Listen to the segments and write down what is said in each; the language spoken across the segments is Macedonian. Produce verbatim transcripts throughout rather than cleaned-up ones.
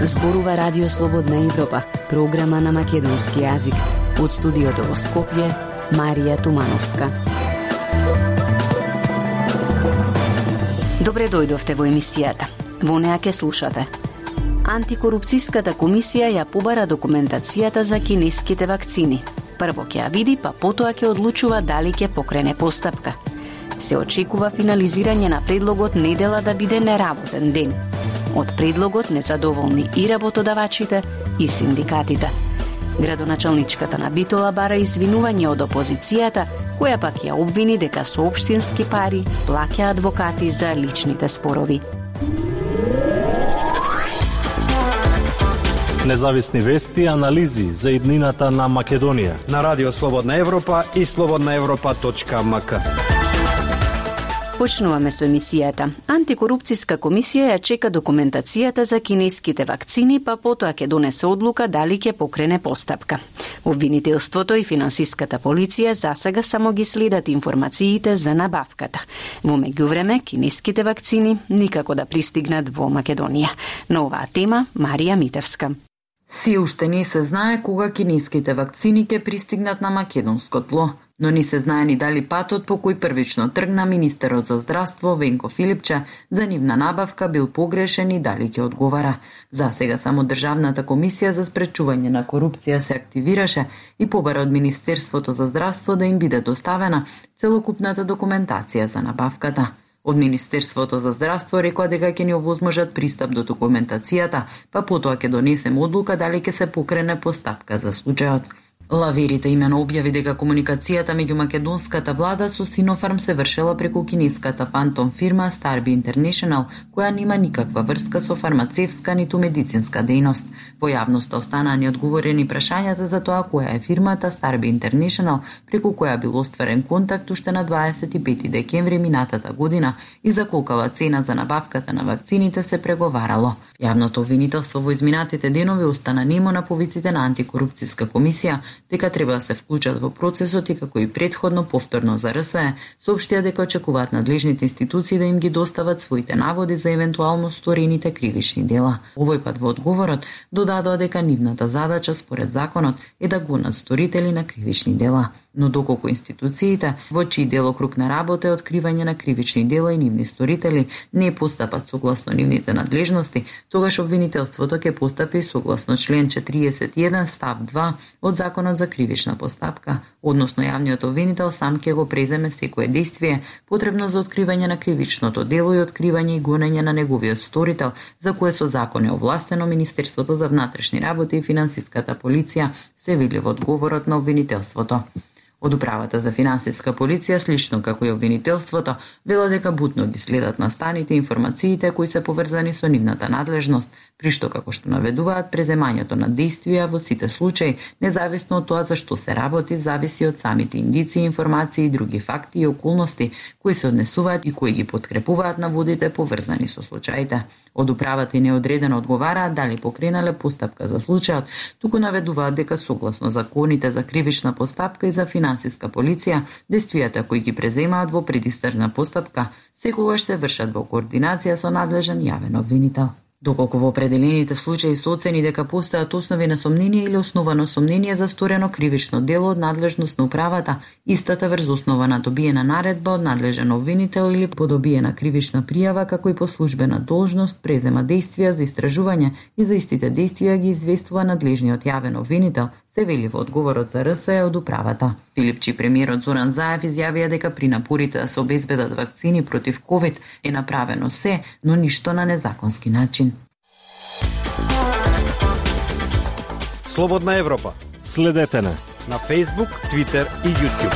Зборува Радио Слободна Европа, програма на македонски јазик. Од студиото во Скопје, Марија Тумановска. Добре дојдовте во емисијата. Во неа ке слушате. Антикорупцијската комисија ја побара документацијата за кинеските вакцини. Прво ќе ја види, па потоа ќе одлучува дали ќе покрене постапка. Се очекува финализирање на предлогот недела да биде неработен ден. Од предлогот незадоволни и работодавачите, и синдикатите. Градоначалничката на Битола бара извинување од опозицијата, која пак ја обвини дека со општински пари плаќа адвокати за личните спорови. Независни вести и анализи за иднината на Македонија на Радио Слободна Европа и слободна европа точка ем ка. Почнуваме со емисијата. Антикорупцијска комисија ја чека документацијата за кинеските вакцини, па потоа ќе донесе одлука дали ќе покрене постапка. Обвинителството и финансиската полиција засега само ги следат информациите за набавката. Во меѓувреме, кинеските вакцини никако да пристигнат во Македонија. На оваа тема, Марија Митевска. Си уште не се знае кога кинеските вакцини ќе пристигнат на македонско тло, но не се знае ни дали патот по кој првично тргна министерот за здравство Венко Филипче за нивна набавка бил погрешен и дали ќе одговара. За сега само Државната комисија за спречување на корупција се активираше и побара од Министерството за здравство да им биде доставена целокупната документација за набавката. Од Министерството за здравство рекоа дека ќе ни овозможат пристап до документацијата, па потоа ќе донесем одлука дали ќе се покрене постапка за случајот. Лаверите имено објави дека комуникацијата меѓу македонската влада со Синофарм се вршела преку кинеската фантом фирма Starby International, која нема никаква врска со фармацевска ниту медицинска дејност. Во јавноста останаа неодговорени прашањата за тоа која е фирмата Starby International, преку која бил остварен контакт уште на дваесет и пети декември минатата година и за колкава цена за набавката на вакцините се преговарало. Јавното обвинителство во изминатите денови остана немо на повиците на антикорупцијска комисија дека треба да се вклучат во процесот и како и претходно повторно за РСЕ, соопштија дека очекуваат надлежните институции да им ги достават своите наводи за евентуално сторените кривични дела. Овој пат во одговорот додадоа дека нивната задача според законот е да гонат сторители на кривични дела. Но доколку институциите, во чиј делокруг на работа е откривање на кривични дела и нивни сторители, не постапат согласно нивните надлежности, тогаш обвинителството ќе постапи согласно член четириесет и еден став два од Законот за кривична постапка, односно јавниот обвинител сам ќе го преземе секое дејствие потребно за откривање на кривичното дело и откривање и гонење на неговиот сторител, за кое со закон е овластено Министерството за внатрешни работи и финансиската полиција, се вели во одговорот на обвинителството. Од управата за финансиска полиција, слично како и обвинителството, вело дека бутно ги следат настаните информациите кои се поврзани со нивната надлежност, при што како што наведуваат преземањето на действија во сите случаи, независно од тоа за што се работи, зависи од самите индици, информации и други факти и околности кои се однесуваат и кои ги подкрепуваат наводите поврзани со случаите. Од управата и неодредено одговараат дали покренале постапка за случајот, туку наведуваат дека согласно законите за кривична постапка и за финансиска полиција, действијата кои ги преземаат во предистражна постапка секогаш се вршат во координација со надлежен јавен обвинител. Доколку во определените случаи се оцени дека постојат основи на сомнение или основано сомнение за сторено кривично дело од надлежност на управата, истата врз основа на добиена наредба од надлежен обвинител или по добиена кривична пријава, како и по службена должност, презема дејствија за истражување и за истите дејствија ги известува надлежниот јавен обвинител, се вели во одговорот за РСЕ од управата. Филипчи премиерот Зоран Заев изјавија дека при напорите да се обезбедат вакцини против ковид е направено се, но ништо на незаконски начин. Слободна Европа. Следете не на Facebook, Twitter и YouTube.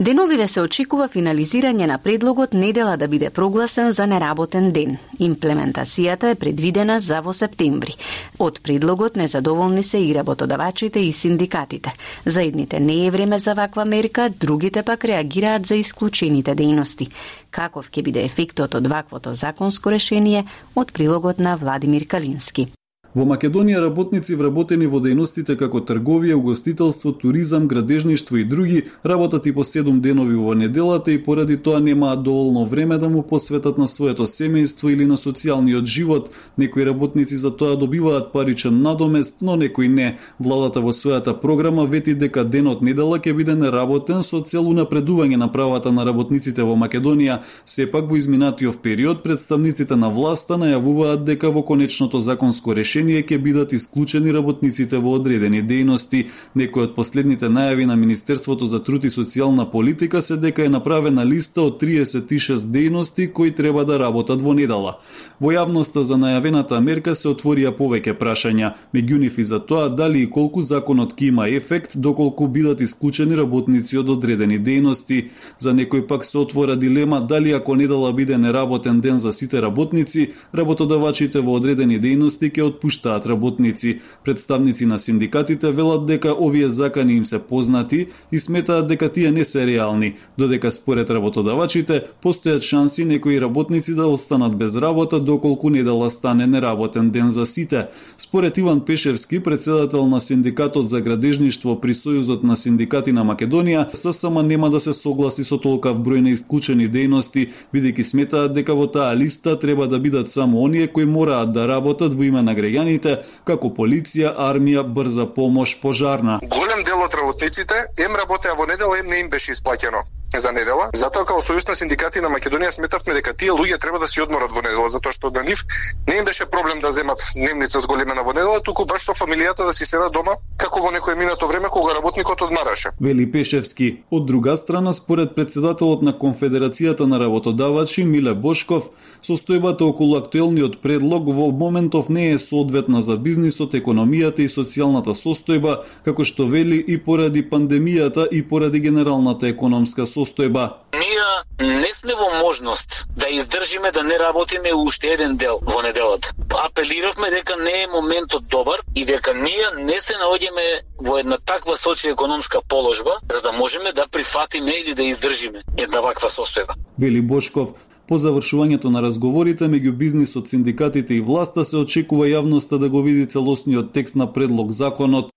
Деновиве се очекува финализирање на предлогот недела да биде прогласен за неработен ден. Имплементацијата е предвидена за во септември. Од предлогот незадоволни се и работодавачите и синдикатите. За едните не е време за ваква мерка, другите пак реагираат за исклучените дејности. Каков ќе биде ефектот од ваквото законско решение од прилогот на Владимир Калински? Во Македонија работници вработени во дејностите како трговија, угостителство, туризам, градежништво и други работат и по седум денови во неделата и поради тоа немаат доволно време да му посветат на своето семејство или на социјалниот живот. Некои работници за тоа добиваат паричен надомест, но некои не. Владата во својата програма вети дека денот недела ќе биде неработен со цел унапредување на правата на работниците во Македонија. Сепак во изминатиот период представниците на власта најавуваат дека во конечното законско решение ќе бидат исклучени работниците во одредени дејности. Некои од последните најави на Министерството за труд и социјална политика се дека е направена листа од триесет и шест дејности кои треба да работат во недела. Во јавноста за најавената мерка се отворија повеќе прашања, меѓу нив и за тоа дали и колку законот ќе има ефект доколку бидат исклучени работници од одредени дејности. За некој пак се отвора дилема дали ако недела биде неработен ден за сите работници, работодавачите во одредени дејности ќе отпуштаат работници. Представници на синдикатите велат дека овие закани им се познати и сметаат дека тие не се реални, додека според работодавачите постојат шанси некои работници да останат без работа доколку недела стане неработен ден за сите. Според Иван Пешевски, председател на Синдикатот за градежништво при Сојузот на синдикати на Македонија, ССМ нема да се согласи со толкав број на исклучени дејности, бидејќи сметаат дека во таа листа треба да бидат само оние кои мораат да работат во име на граѓаните, како полиција, армија, брза помош, пожарна. Голем дел од работниците ем работеа во недела, ем не им беше исплаќено за недела. Затоа како Сојуз на синдикати на Македонија сметавме дека тие луѓе треба да си одморат во недела, затоа што на нив не им беше проблем да земат дневница зголемена во недела, туку баш со фамилијата да си седат дома, како во некое минато време кога работникот одмараше. Вели Пешевски. Од друга страна, според председателот на Конфедерацијата на работодавачи Миле Бошков, состојбата околу актуелниот предлог во моментов не е соодветна за бизнисот, економијата и социјалната состојба, како што вели и поради пандемијата и поради генералната економска состојба. Ние не сме во можност да издржиме да не работиме уште еден дел во неделата. Апелиравме дека не е моментот добар и дека ние не се наоѓаме во една таква социјекономска положба за да можеме да прифатиме или да издржиме една ваква состојба. Вели Бошков. По завршувањето на разговорите меѓу бизнисот, синдикатите и власта се очекува јавноста да го види целосниот текст на предлог законот.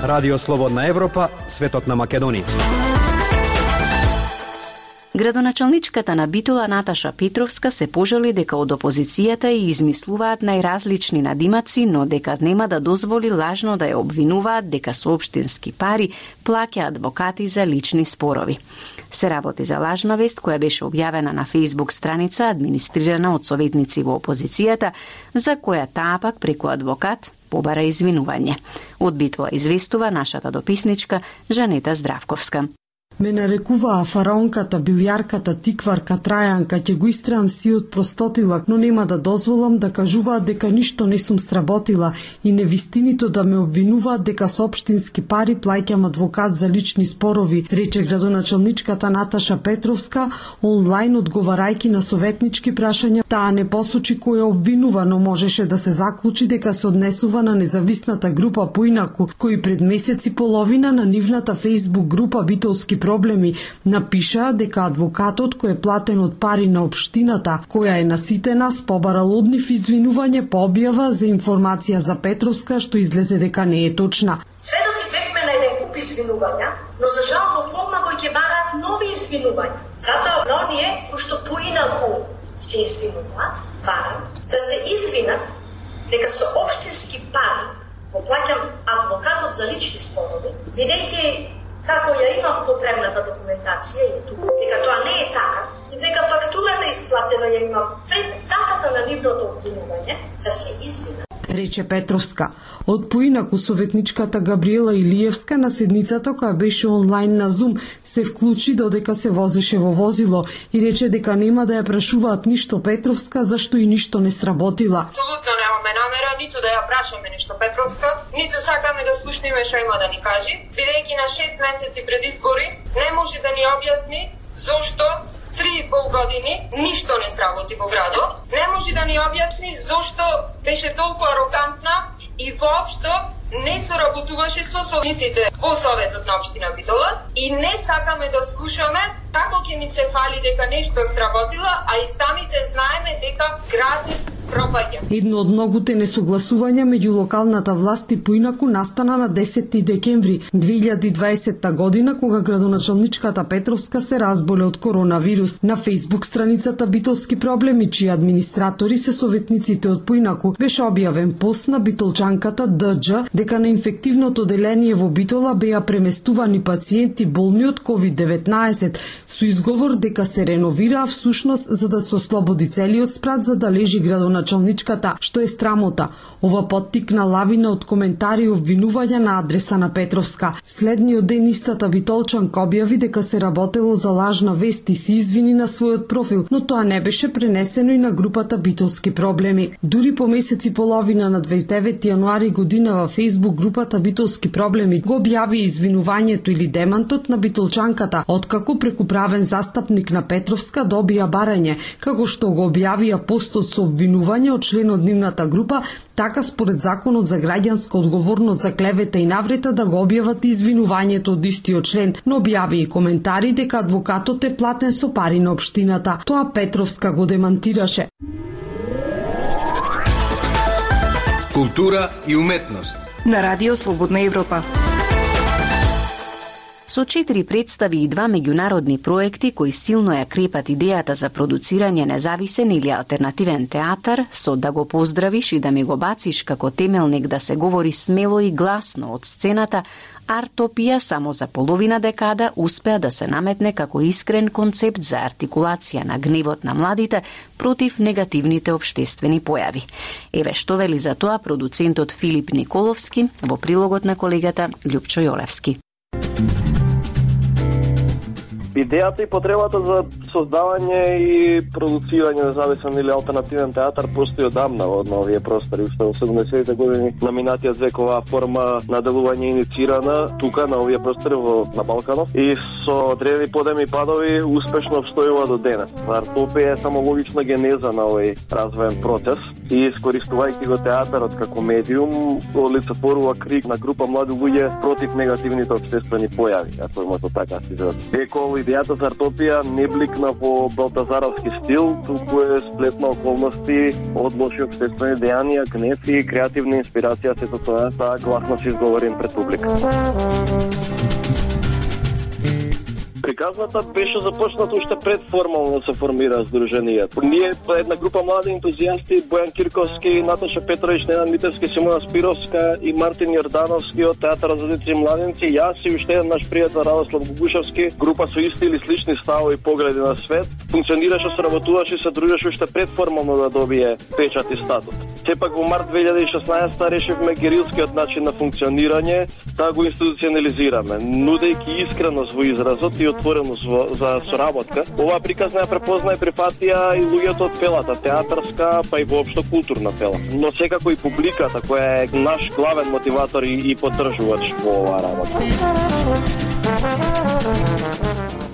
Радио Слободна Европа, светот на Македонија. Градоначалничката на Битола Наташа Петровска се пожали дека од опозицијата и измислуваат најразлични надимаци, но дека нема да дозволи лажно да ја обвинуваат дека со општински пари плаќа адвокати за лични спорови. Се работи за лажна вест која беше објавена на Facebook страница администрирана од советници во опозицијата, за која таа пак преку адвокат побара извинување. Од Битола известува нашата дописничка Жанета Здравковска. Ме нарекуваа фараонката, билјарката, тикварка, трајанка, ќе го истреам сиот простотилак, но нема да дозволам да кажуваат дека ништо не сум сработила и невистиното да ме обвинуваат дека со општински пари плаќам адвокат за лични спорови, рече градоначалничката Наташа Петровска онлайн одговарајќи на советнички прашања. Таа не посочи кој е обвинува, но можеше да се заклучи дека се однесува на независната група Поинаку, кои пред месец и половина на нивната Facebook група Битолски проблеми напишаа дека адвокатот кој е платен од пари на општината, која е наситена, побарал од нив извинување по објава за информација за Петровска што излезе дека не е точна. Сведоци бевме на еден куп извинувања, но за жал во форма кој ќе бараат нови извинувања. Затоа на оние кои што поинаку се извинуваат, барам да се извинат дека со општински пари го плаќам адвокатот за лични спорови, бидејќи како ја имам потребната документација и тука, дека тоа не е така, и дека фактурата исплатена ја имам пред датата на нивното обвинување, да се извина. Рече Петровска. Од поинаку советничката Габриела Илиевска на седницата која беше онлайн на Zoom се вклучи додека се возеше во возило и рече дека нема да ја прашуваат ништо Петровска зашто и ништо не сработила. Апсолутно немаме намера ниту да ја прашаме ништо Петровска, ниту сакаме да слушнеме што има да ни кажи, бидејќи на шест месеци пред избори не може да ни објасни зошто три и пол години ништо не сработи во градот, не може да ни објасни зошто беше толку арогантна и воопшто не соработуваше со советниците. во Советот на општина Битола и не сакаме да слушаме како ќе ни се фали дека нешто сработило, а и самите знаеме дека градот пропаѓа. Едно од многуте несогласувања меѓу локалната власт и поинаку настана на десети декември две илјади и дваесетта година, кога градоначалничката Петровска се разболе од коронавирус. На фејсбук страницата Битолски проблеми, чии администратори се советниците од поинаку, беше објавен пост на битолчанката Д Дж дека на инфективното оделение во Битола беа преместувани пациенти болни од ковид деветнаесет, со изговор дека се реновираа всушност за да се ослободи целиот спрат за да лежи градоначалничката, што е срамота. Ова поттикна лавина од коментари и обвинувања на адреса на Петровска. Следниот ден истата битолчанка објави дека се работело за лажна вест и се извини на својот профил, но тоа не беше пренесено и на групата Битолски проблеми. Дури по месец и половина на дваесет и деветти јануари година во фејсбук групата Битолски проблеми го објави извинувањето или демантот на битолчанката, откако преку правен застапник на Петровска добија барање, како што го објавија постот со обвинување од член од нивната група, така според законот за граѓанска одговорност за клевета и наврета да го објават извинувањето од истиот член, но објави и коментари дека адвокатот е платен со пари на општината. Тоа Петровска го демантираше. Култура и уметност на Радио Слободна Европа. Со четири представи и два меѓународни проекти кои силно ја крепат идејата за продуцирање независен или алтернативен театар, со да го поздравиш и да ми го бациш како темелник да се говори смело и гласно од сцената, Артопија само за половина декада успеа да се наметне како искрен концепт за артикулација на гневот на младите против негативните општествени појави. Еве што вели за тоа продуцентот Филип Николовски во прилогот на колегата Љупчо Јолевски. Идејата и потребата за создавање и продуцирање независен или алтернативен театар постои одамна во овие простори. Уште во седумдесетите години номинацијата за оваа форма на делување инициирана тука на овие простори во на Балканов и со одредени подеми и падови успешно обстојува до денес. Артопија е само логична генеза на овој развоен процес и искористувајќи го театарот како медиум олицетворува крик на група млади луѓе против негативните општествени појави, ако имате така си за векол. Идејата за Артопија не бликна во балтазаровски стил, туку е сплет на околности од лоши општествени дејанија, гнев и креативна инспирација, сето тоа, таа гласно се изговорим пред публика. Приказната беше започната уште пред формално да се формира Сдруженијата. Ние, една група млади ентузијасти, Бојан Кирковски, Наташа Петрович, Ненад Митевски, Симона Спировска и Мартин Јордановски од Театарот за деци и младенци, јас и уште еден наш пријател Радослав Гугушевски, група со исти или слични ставови и погледи на свет, функционираше, соработуваше и се дружеше уште пред формално да добие печат и статут. Сепак во март две илјади и шеснаесетта решивме герилскиот начин на функционирање да го институционализираме, нудејќи искреност во изразот и отвореност за соработка. Оваа приказна ја препозна и прифатија и луѓето од пелата, театарска, па и воопшто културна пела. Но секако и публиката, која е наш главен мотиватор и, и поддржувач во оваа работа.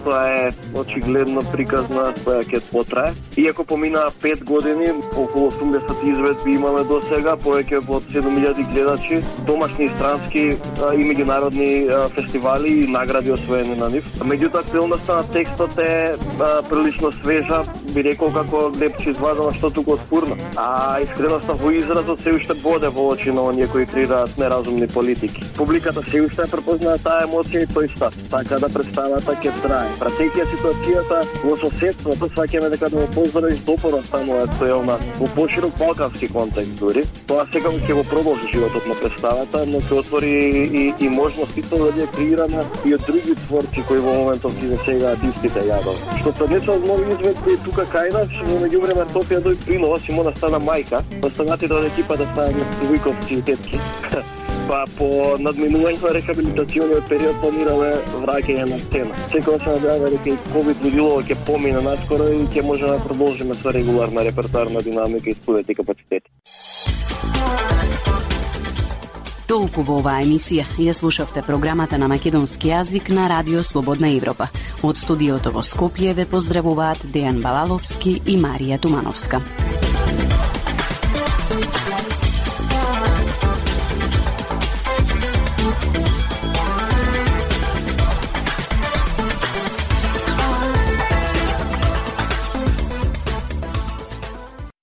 Тоа е очигледно приказна која ќе потрае. Иако поминаа пет години, околу осумдесет изведби имаме до сега, повеќе од седум илјади гледачи, домашни и странски а, и меѓународни а, фестивали и награди освоени на нив. Меѓутоа, актуелноста на текстот е а, прилично свежа, би рекол како лепче извадена што туку од фурна. А искреноста во изразот се уште боде во очи на оние кои креираат неразумни политики. Публиката се уште препознаа таа емоција и тој став, така да представата ќе трае. Пратејќи ситуацијата во соседството, сваќаме дека да го поздравиш допора само актуелна во поширок балкански контекст дури. Тоа сега ќе го продолжи животот на представата, но ќе отвори и, и можности тоа да ја креираме и од други творци кои во моментов ќе засегаат истите јадови. Што се деча од нови изведби тука кај нас, во меѓувреме Артопија дој принова, Симона стана мајка, останатите од екипа да станат вујковци и тетки. Па по надминување на рехабилитациониот период планираме враќање на сцена. Секој се надеваме дека и ковид лудилово ќе помине наскоро и ќе може да продолжиме со регуларна репертоарна динамика и студенти капацитети. Толку во оваа емисија. Ја слушавте програмата на македонски јазик на Радио Слободна Европа. Од студиото во Скопје ве поздравуваат Дејан Балаловски и Марија Тумановска.